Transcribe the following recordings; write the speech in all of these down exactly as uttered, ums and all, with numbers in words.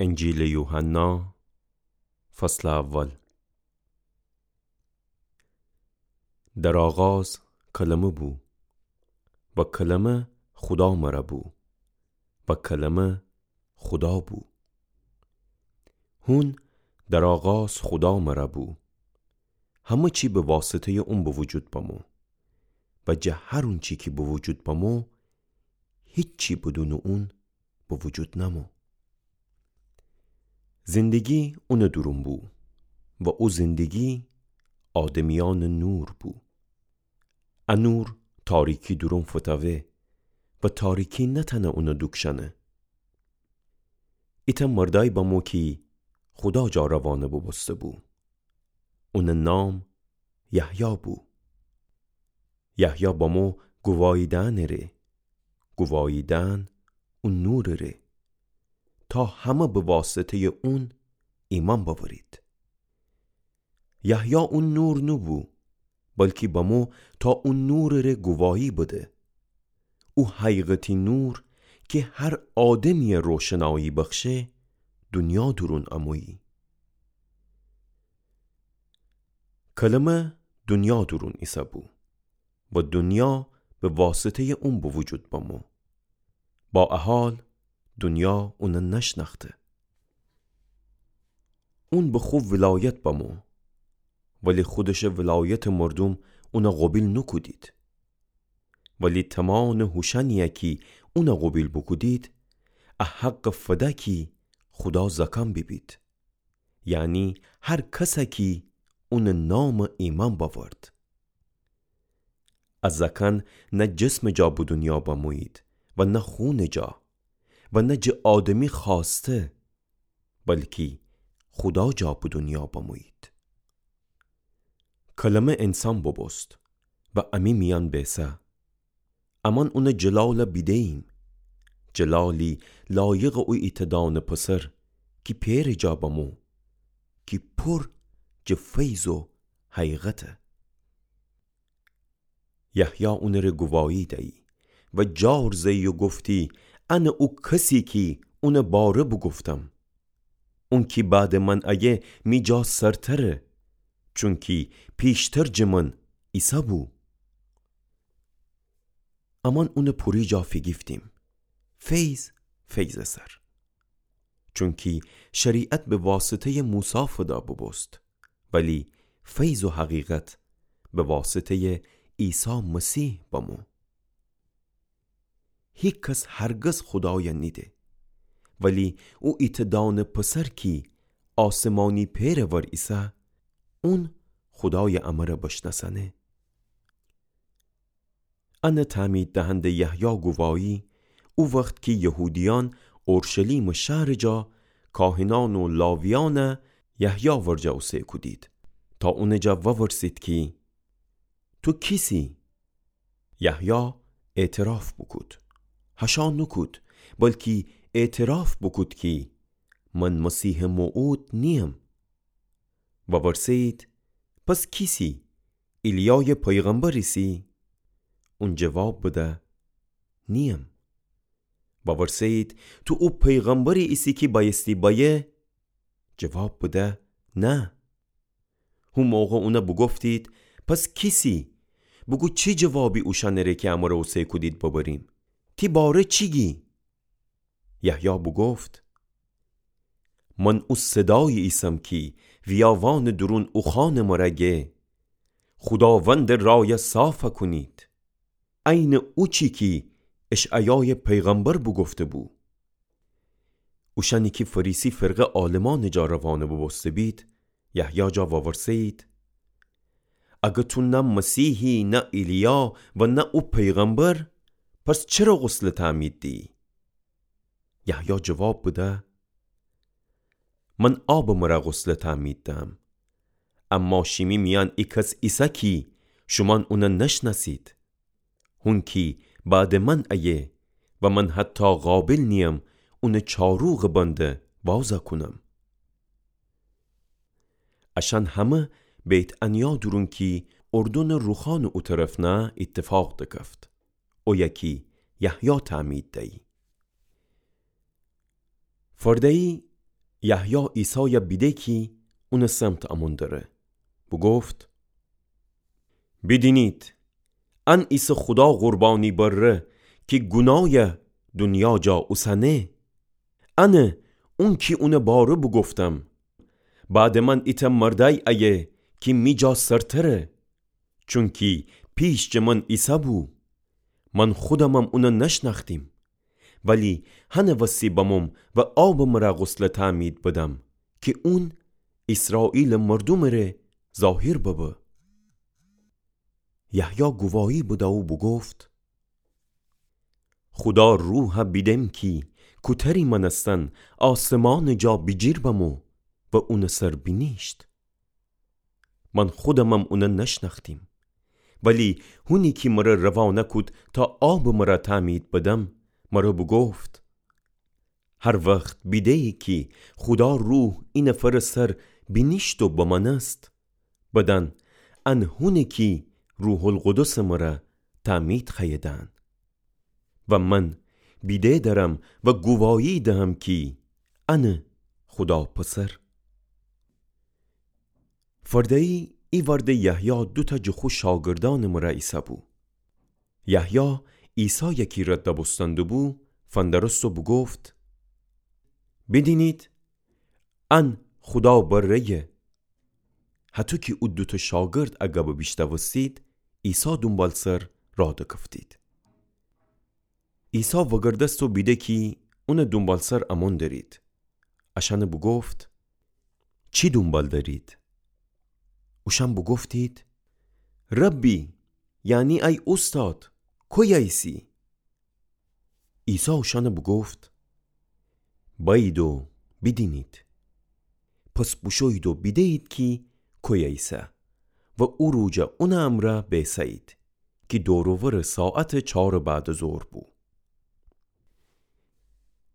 انجیلٚ یوحنا، فصلٚ اول. در آغاز کلمه بو، و کلمه خودا مره بو، و کلمه خودا بو. هون در آغاز خودا مره بو. همه چی به واسطه‌یٚ اون به وجود بمو، و جٚه هر اونچی کی به وجود بمو، هیچی بدونٚ اون به وجود نمو. زندگی اونٚ دورون بو، و او زندگی آدمیأنٚ نور بو. ا نور تاریکی دورون فتاوه، و تاریکی نتأنه اون دوکشأنه. ایتأ مردأیی بمو کی خودا جا روانه بوبوسته بو. اونٚ نام یحیی بو. یحیی بمو گووایی دأنٚ ره، گووایی دأن او نورٚ ره، تا همه به واسطه‌یٚ اون ایمأن بأورید. یحیی او نور نوبو، بلکی بمو تا او نورٚ ره گووایی بده. او حقیقتی نور کی هر آدمی‌یه روشنایی بخشه، دونیا دورون امویی. کلمه دونیا دورون ایسه‌بو، و دونیا به واسطه‌یٚ اون به وجود بمو. با ا حال دونیا اون نشنأخته. اون به خو ولایت بمو، ولی خودشٚ ولایتٚ مردوم اون قوبیل نوکودید. ولی تمامٚ هوشأنی‌یه کی اون قوبیل بوکودید، ا حق فده کی خودا زأکأن بیبید، یعنی هر کسه کی اونٚ نامٚ ایمأن بأورد. ا زأکأن نه جسمٚ جا به دونیا بمویید و نه خونٚ جا و نه جٚه آدمی خوأسته، بلکی خودا جا به دونیا بمویید. کلمه انسان بوبوست و امی میأن بیسه. امأن اونٚ جلال بیده‌ییم، جلالی لایقٚ او ایتأ دانه پسر کی پئرٚ جا بمو، کی پور جٚه فیض و حقیقته. یحیی اونٚ ره گووایی دیی و جار زه‌یی و گفتی: انه او کسی کی اونٚ باره بوگفتم. اون کی بعدٚ من ایه می جا سرتره، چونکی پیشتر جٚه من ایسه‌بو. امأن اونٚ پوری جا فیگیفتیم، فیض فیضٚ سر. چونکی شریعت به واسطه‌یٚ موسی فده بوبوست، ولی فیض و حقیقت به واسطه‌یٚ عیسی مسیح بمو. هیکس هرگز خودای نیده، ولی او ایتأ دانه پسر کی آسمانی پئرٚ ور ایسه، اون خودای امره بشنأسأنه. انه تعمید دهنده یحیی گووایی، او وخت کی یهودیأن اورشلیمٚ شهرٚ جا کاهنأن و لاویأن یحیی ورجه اوسه کودید، تا اونٚ جا وورسید کی: تو کیسی؟ یحیی اعتراف بوکود، هشا نوکود، بلکی اعتراف بوکود کی: من مسیحٚ موعود نییم. وورسه‌یید: پس کیسی؟ ایلیایٚ پیغمبر ایسی؟ اون جواب بده: نییم. وورسه‌یید: تو او پیغمبری ایسی کی بأیستی بأیه؟ جواب بده: نه. هو موقع اونه بوگفتید: پس کیسی؟ بوگو چی جوابی اوشأنٚ ره کی امره اوسه کودید ببریم؟ تی باره چی گی؟ یحیی بوگفت: من او صدایی ایسم کی ویاوانٚ دورون اوخوأنٚ مره گه: خوداوندٚ رایه صافه کونید. عینٚ اوچی کی اشعیایٚ پیغمبر بوگفته‌بو. اوشأنی کی فریسی فرقه عالمأنٚ جا روانه بوبوسته‌بید، یحیی جا وورسه‌یید: اگر تو نه مسیحی، نه ایلیا و نه او پیغمبر، پس چره غسلٚ تعمید دیی؟ یحیی جواب بده: من آبٚ مره غسلٚ تعمید دهم، اما شیمی میأن ایکس ایسه کی شومأن اونه نشنأسید. هون کی بعدٚ من ایه و من حتی قابل نییم اونٚ چاروغٚ بنده وازه کونم. اشأن همه بیت‌عنیا دورون کی اردنٚ روخانٚ او طرف نه ایتفاق دکفت، اویه کی یحیی تعمید دیی. فرده‌یی یحیی عیسایَ بیده کی اونٚ سمت امون دره، بوگفت: بیدینید، ان ایسه خودا قربانی بره کی گونایَ دونیا جا اوسنه. انه اون کی اونٚ باره بوگفتم: بعدٚ من ایتأ مردأی ایه کی می جا سرتره، چونکی پیش جٚه من ایسه‌بو. من خودمم اونَ نشنأختیم، ولی هنٚ وسی بموم و آبٚ مرَ غسلٚ تعمید بدم کی اون ایسرائیلٚ مردومٚ ره ظاهر ببه. یحیی گواهی بده و بوگفت: خودا روحَ بیدم کی کوتری مأنستن آسمانٚ جا بیجیر بمو و اونٚ سر بینیشت. من خودمم اونَ نشنأختیم، ولی هونی کی مرَ روانه کود تا آبٚ مرَ تعمید بدم، مرَ بوگفت: هر وخت بیده‌یی کی خودا روح ای نفرٚ سر بینیشت و بمأنست، بدأن ان هونه کی روح‌القدسٚ مرَ تعمید خوأیه دهن. و من بیده دأرم و گواهی دهم کی انه خودا پسر. فرده‌یی ای وردٚ یحیی دوتأ جٚه خو شاگردأنٚ مرَ ایسه‌بو. یحیی عیسایَ کی رد بوستن دوبو، فندرست و بوگفت: بیدینید، ان خودا بره‌یه. هطو کی او دوتأ شاگرد ا گبَ بیشنوستید، عیسی دونبالسر راه دکفتید. عیسی وگردست و بیده کی اونٚ دونبالسر امون درید، اشأنَ بوگفت: چی دونبال درید؟ اوشأن بوگفتید: ربی، یعنی ای اوستاد، کویه ایسی؟ عیسی اوشأنَ بوگفت: بأیید و بیدینید. پس بوشویید و بیده‌یید کی کویه ایسه و او روجَ اونٚ امرأ بیسه‌یید، کی دور و ورٚ ساعتٚ چارٚ بعدٚ ظهر بو.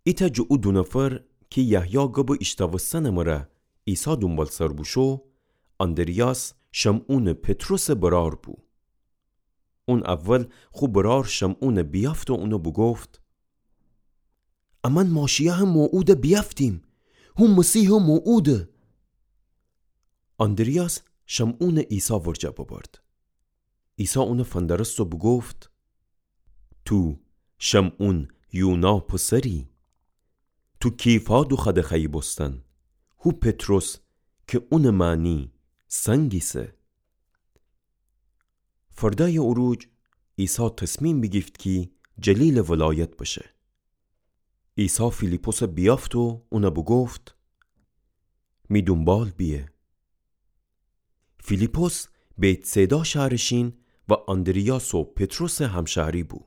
ایتأ جٚه او دو نفر کی یحیی گبٚ ایشنوستنٚ مرَ عیسی دونبالسر بوشو، آندریاس، شمعونٚ پطرسٚ برأر بو. اون اول خو برأر شمعونَ بیأفت و اونَ بوگفت: امأن ماشیأحٚ موعودَ بیأفتیم، هو مسیحٚ موعوده. آندریاس شمعونَ عیسی ورجه ببرد. عیسی اونَ فندرست و بوگفت: تو شمعون یونا پسری، تو کیفا دوخوأده خوأیی بوستن، هو پطرس کی اونٚ معنی سنگ ایسه. فردأیٚ او روج عیسی تصمیم بیگیفت کی جلیلٚ ولایت بشه. عیسی فیلیپسَ بیأفت و اونَ بوگفت: می دونبال بیه. فیلیپس بیت‌صیدا شأرٚ شین و آندریاس و پطرسٚ همشأری بو.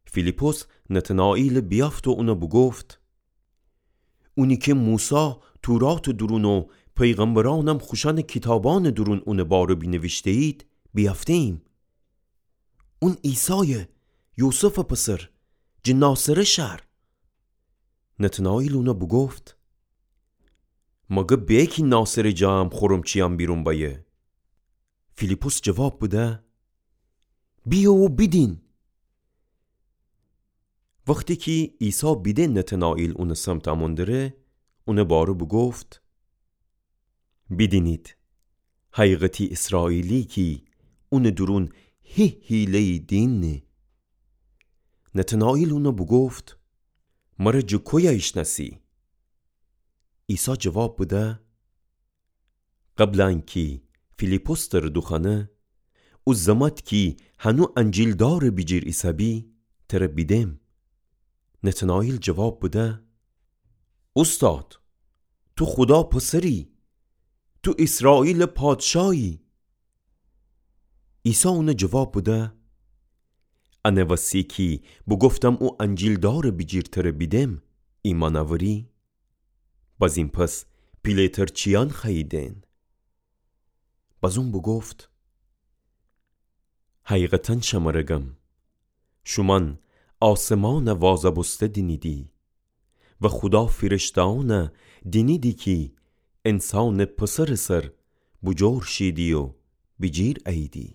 فیلیپس نتنائیلَ بیأفت و اونَ بوگفت: اونی کی موسی توراتٚ دورون و پیغمبرأنم خوشأنٚ کیتابأنٚ دورون اونٚ باره بینیویشته‌یید، بیأفته‌ییم. اون عیسایه، یوسفٚ پسر، جٚه ناصره شأر. نتنائیل اونَ بوگفت: مگه به کی ناصره جا هم خورمچیأن بیرون بأیه؟ فیلیپس جواب بده: بیه و بیدین. وختی کی عیسی بیده نتنائیل اونٚ سمت امون دره، اونٚ باره بوگفت: بیدینید، حقیقتی ایسرائیلی کی اونٚ دورون هی حیله‌یی دینه. نتنائیل اونَ بوگفت: مره جٚه کویه ایشنأسی؟ عیسی جواب بده: قبل انکی فیلیپس تره دوخوأنه، او زمأت کی هنو انجیلدارٚ بیجیر ایسه‌بی، تره بیدم. نتنائیل جواب بده: اوستاد، تو خودا پسری، تو ایسرائیلٚ پادشاهی. عیسی اونَ جواب بده: انه وسی کی بوگفتم او انجیلدارٚ بیجیر تره بیدم، ایمأن اوری؟ بزین پس پیله‌تر چیأن خوأیی دئن؟ بزون بوگفت: حقیقتا شمره گم، شومأن آسمانَ وازَ بوسته دینیدی و خودا فیرشته‌أنَ دینیدی کی انسانٚ پسرٚ سر بوجور شیدی و بیجیر اییدی.